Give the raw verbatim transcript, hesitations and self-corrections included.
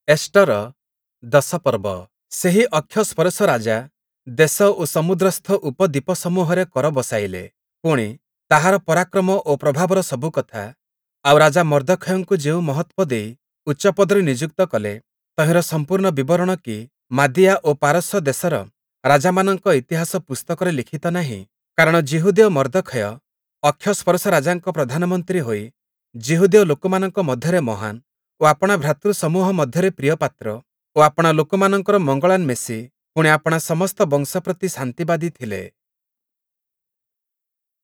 Easter ଦଶ ପର୍ବ। ସେହି ଅକ୍ଷଶ୍ଵରୋଷ ରାଜା ଦେଶ ଓ ସମୁଦ୍ରସ୍ଥ ଉପଦ୍ଵୀପସମୂହରେ କର ବସାଇଲେ। ପୁଣି, ତାହାର ପରାକ୍ରମ ଓ ପ୍ରଭାବର ସବୁ କଥା, ଆଉ ରାଜା ମର୍ଦ୍ଦଖୟଙ୍କୁ ଯେଉଁ ମହତ୍ତ୍ଵ ଦେଇ ଉଚ୍ଚପଦରେ ନିଯୁକ୍ତ କଲେ, ତହିଁର ସମ୍ପୂର୍ଣ୍ଣ ବିବରଣ କି ମାଦିଆ ଓ ପାରସ୍ୟ ଦେଶର ରାଜାମାନଙ୍କ ଇତିହାସ ପୁସ୍ତକରେ ଲିଖିତ ନାହିଁ? କାରଣ ଯିହୁଦୀୟ ମର୍ଦ୍ଦଖୟ ଅକ୍ଷଶ୍ଵରୋଷ ରାଜାଙ୍କ ପ୍ରଧାନମନ୍ତ୍ରୀ ହୋଇ ଯିହୁଦୀୟ ଲୋକମାନଙ୍କ ମଧ୍ୟରେ ମହାନ ଓ ଆପଣା ଭ୍ରାତୃସମୂହ ମଧ୍ୟରେ ପ୍ରିୟପାତ୍ର ଓ ଆପଣା ଲୋକମାନଙ୍କର ମଙ୍ଗଳାନ୍ୱେଷୀ, ପୁଣି, ଆପଣା ସମସ୍ତ ବଂଶ ପ୍ରତି ଶାନ୍ତିବାଦୀ ଥିଲେ।